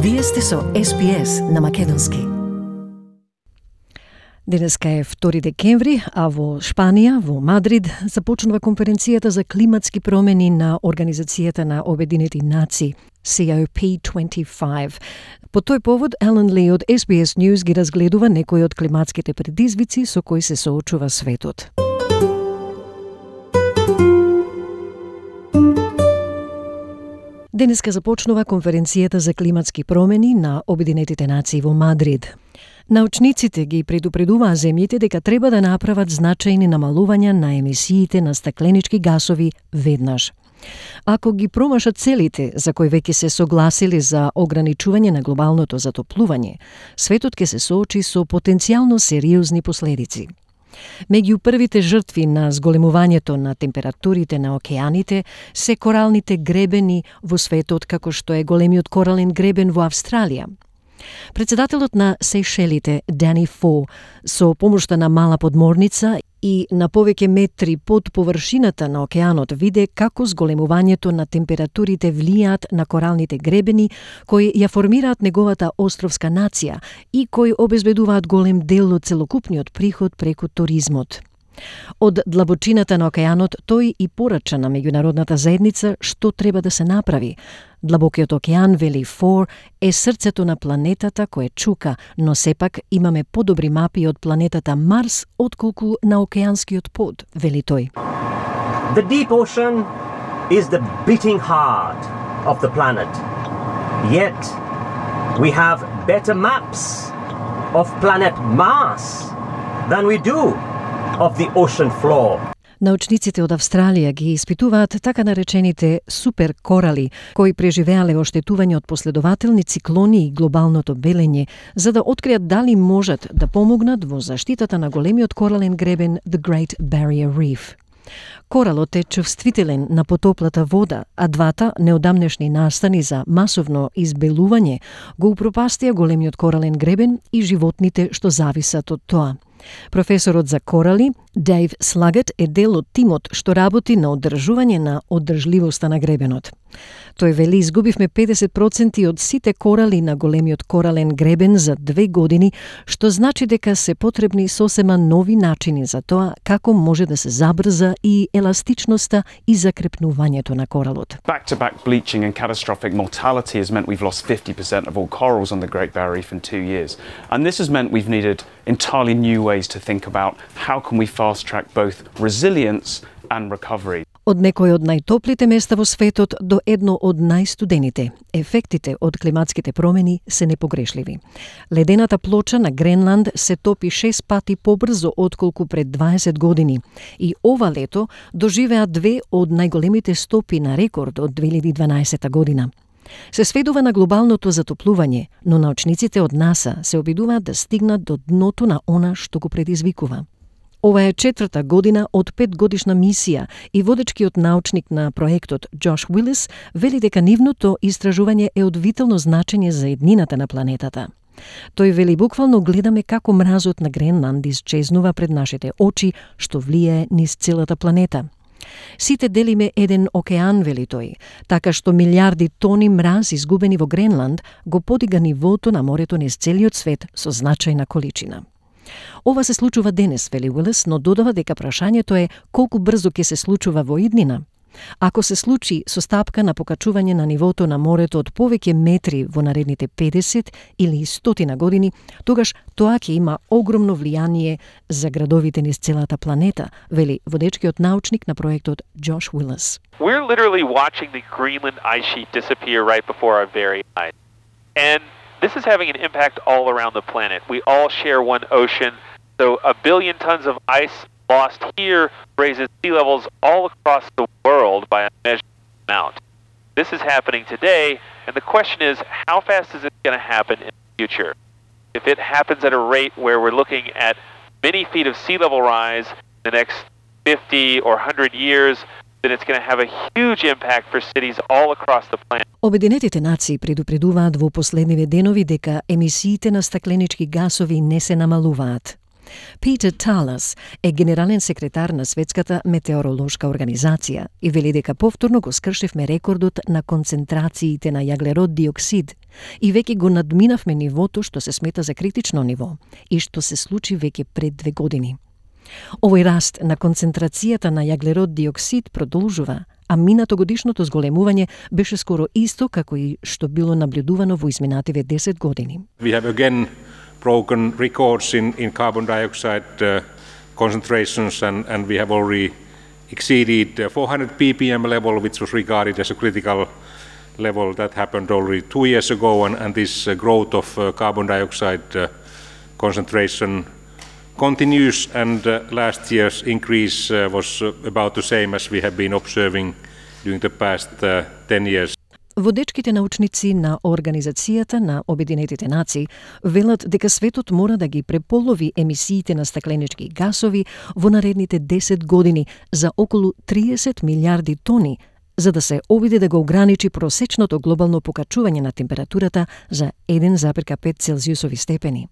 Вие сте со SPS на македонски. Денеска е 2 декември, а во Шпанија, во Мадрид, започнува конференцијата за климатски промени на Организацијата на Обединети нации, COP25. По тој повод, Елен Ли од SBS News ги разгледува некои од климатските предизвици со кои се соочува светот. Денеска започнува конференцијата за климатски промени на Обединетите нации во Мадрид. Научниците ги предупредуваа земјите дека треба да направат значајни намалувања на емисиите на стакленички гасови веднаш. Ако ги промашат целите за кои веќе се согласили за ограничување на глобалното затоплување, светот ќе се соочи со потенцијално сериозни последици. Меѓу првите жртви на зголемувањето на температурите на океаните се коралните гребени во светот, како што е големиот корален гребен во Австралија. Председателот на Сејшелите, Дани Фо, со помошта на мала подморница и на повеќе метри под површината на океанот виде како зголемувањето на температурите влијаат на коралните гребени кои ја формираат неговата островска нација и кои обезбедуваат голем дел од целокупниот приход преку туризмот. Од длабочината на океанот тој и порача на меѓународната заедница што треба да се направи. Длабокиот океан, вели Фор, е срцето на планетата кое чука, но сепак имаме подобри мапи од планетата Марс отколку на океанскиот под, вели тој. The deep ocean is the beating heart of the planet. Yet we have better maps of planet Mars than we do of the ocean floor. Научниците од Австралија ги испитуваат така наречените супер корали, кои преживеале оштетување од последователни циклони и глобалното белење, за да откријат дали можат да помогнат во заштитата на големиот корален гребен The Great Barrier Reef. Коралот е чувствителен на потоплата вода, а двата неодамнешни настани за масовно избелување го упропастија големиот корален гребен и животните што зависат од тоа. Професорот за корали, Дейв Слагет, е дел од тимот што работи на одржување на одржливоста на гребенот. Тој вели, изгубивме 50% од сите корали на големиот корален гребен за 2 години, што значи дека се потребни сосема нови начини за тоа како може да се забрза и еластичноста и закрепнувањето на коралот. Back-to-back bleaching and catastrophic mortality has meant we've lost 50% of all corals on the Great Barrier Reef in 2 years. And this has meant we've needed entirely new ways to think about how can we fast-track both resilience and recovery. Од некои од најтоплите места во светот до едно од најстудените, ефектите од климатските промени се непогрешливи. Ледената плоча на Гренланд се топи 6 пати побрзо отколку пред 20 години и ова лето доживеа 2 од најголемите стопи на рекорд од 2012 година. Се сведува на глобалното затоплување, но научниците од НАСА се обидуваат да стигнат до дното на она што го предизвикува. Ова е 4-та година од 5-годишна мисија и водечкиот научник на проектот Джош Уилис вели дека нивното истражување е од витално значење за еднината на планетата. Тој вели, буквално гледаме како мразот на Гренланд исчезнува пред нашите очи, што влијае низ целата планета. Сите делиме еден океан, вели тој, така што милиарди тони мраз изгубени во Гренланд го подига нивото на морето низ целиот свет со значајна количина. Ова се случува денес, вели Уилис, но додава дека прашањето е колку брзо ќе се случува во иднина. Ако се случи со стапка на покачување на нивото на морето од повеќе метри во наредните 50 или 100 години, тогаш тоа ќе има огромно влијание за градовите низ целата планета, вели водечкиот научник на проектот Джош Уилис. We're literally watching the Greenland ice sheet disappear right before our very eyes. And this is having an impact all around the planet. We all share one ocean, so 1 billion tons of ice lost here raises sea levels all across the world by a measured amount. This is happening today, and the question is, how fast is it going to happen in the future? If it happens at a rate where we're looking at many feet of sea level rise in the next 50 or 100 years, then it's going to have a huge impact for cities all across the planet. Обединетите нации предупредуваат во последниве денови дека емисиите на стакленички гасови не се намалуваат. Peter Talas е генерален секретар на Светската метеоролошка организација и вели дека повторно го скршивме рекордот на концентрациите на јаглерод диоксид и веќе го надминавме нивото што се смета за критично ниво и што се случи веќе пред 2 години. Овој раст на концентрацијата на јаглерод диоксид продолжува, а минатогодишното зголемување беше скоро исто како и што било наблюдувано во изминативе 10 години. We have again broken records in carbon dioxide concentrations and we have already exceeded 400 ppm level, which was regarded as a critical level. That happened already 2 years ago, and this growth of carbon dioxide concentration continues, and last year's increase was about the same as we have been observing during the past 10 years. Водечките научници на Организацијата на Обединетите нации велат дека светот мора да ги преполови емисиите на стакленички гасови во наредните 10 години за околу 30 милиарди тони, за да се обиде да го ограничи просечното глобално покачување на температурата за 1,5 целзиусови степени.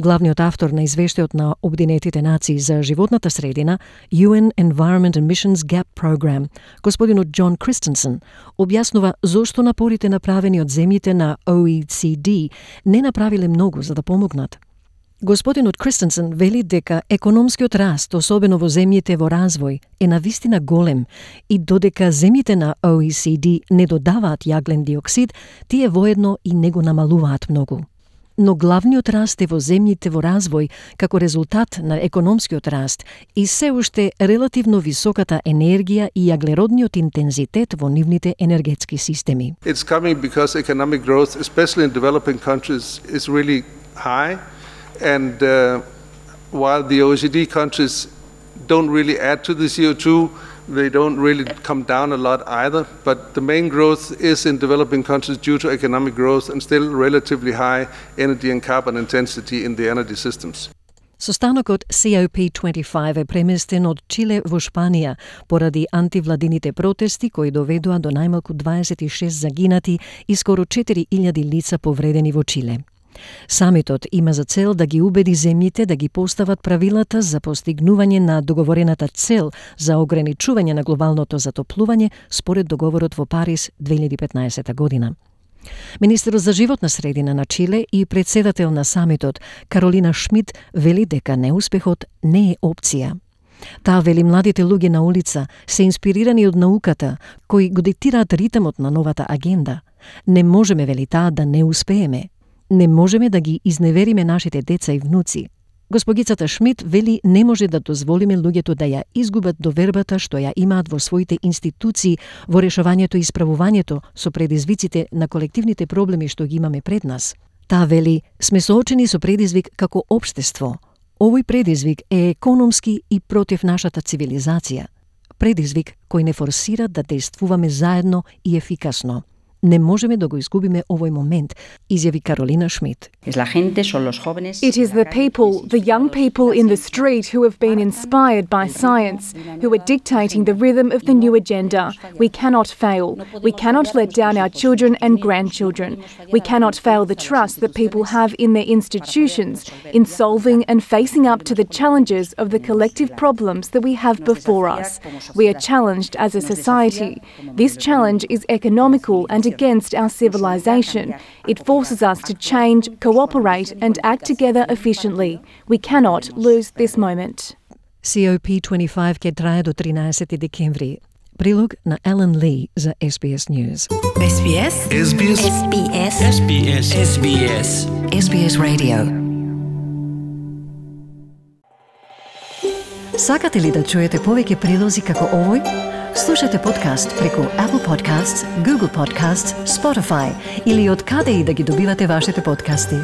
Главниот автор на извештајот на Обединетите нации за животната средина, UN Environment Emissions Gap Program, господинот Џон Кристенсен, објаснува зошто напорите направени од земјите на OECD не направиле многу за да помогнат. Господинот Кристенсен вели дека економскиот раст, особено во земјите во развој, е навистина голем и додека земјите на OECD не додаваат јаглен диоксид, тие воедно и не го намалуваат многу. Но главниот раст е во земјите во развој како резултат на економскиот раст и се уште релативно високата енергија и јаглеродниот интензитет во нивните енергетски системи. It's coming because economic growth, especially in developing countries, is really high, and while the OECD countries don't really add to the CO2, they don't really come down a lot either, but the main growth is in developing countries due to economic growth and still relatively high energy and carbon intensity in the energy systems. Состанокот COP25 е преместен од Чиле во Шпанија поради антивладините протести кои доведоа до најмалку 26 загинати и скоро 4000 лица повредени во Чиле. Самитот има за цел да ги убеди земјите да ги постават правилата за постигнување на договорената цел за ограничување на глобалното затоплување според договорот во Париз 2015 година. Министерот за животна средина на Чиле и председател на самитот Каролина Шмидт вели дека неуспехот не е опција. Таа вели младите луѓе на улица се инспирирани од науката, кои го диктираат ритмот на новата агенда. Не можеме, вели таа, да не успееме. Не можеме да ги изневериме нашите деца и внуци. Госпогицата Шмидт вели не може да дозволиме луѓето да ја изгубат довербата што ја имаат во своите институции во решавањето и исправувањето со предизвиците на колективните проблеми што ги имаме пред нас. Таа вели, сме соочени со предизвик како општество. Овој предизвик е економски и против нашата цивилизација. Предизвик кој не форсира да действуваме заедно и ефикасно. Не можеме да го изгубиме овој момент, изјави Каролина Шмидт. It is the people, the young people in the street who have been inspired by science, who are dictating the rhythm of the new agenda. We cannot fail. We cannot let down our children and grandchildren. We cannot fail the trust that people have in their institutions, in solving and facing up to the challenges of the collective problems that we have before us. We are challenged as a society. This challenge is economical and against our civilization. It forces us to change, cooperate and act together efficiently. We cannot lose this moment. COP25 ќе трае до 13 декември. Прилог на Елен Ли за SBS News. SBS SBS SBS SBS SBS SBS Radio. Сакате ли да чуете повеќе прилози како овој? Слушате подкаст преку Apple Podcasts, Google Podcasts, Spotify или од каде и да ги добивате вашите подкасти.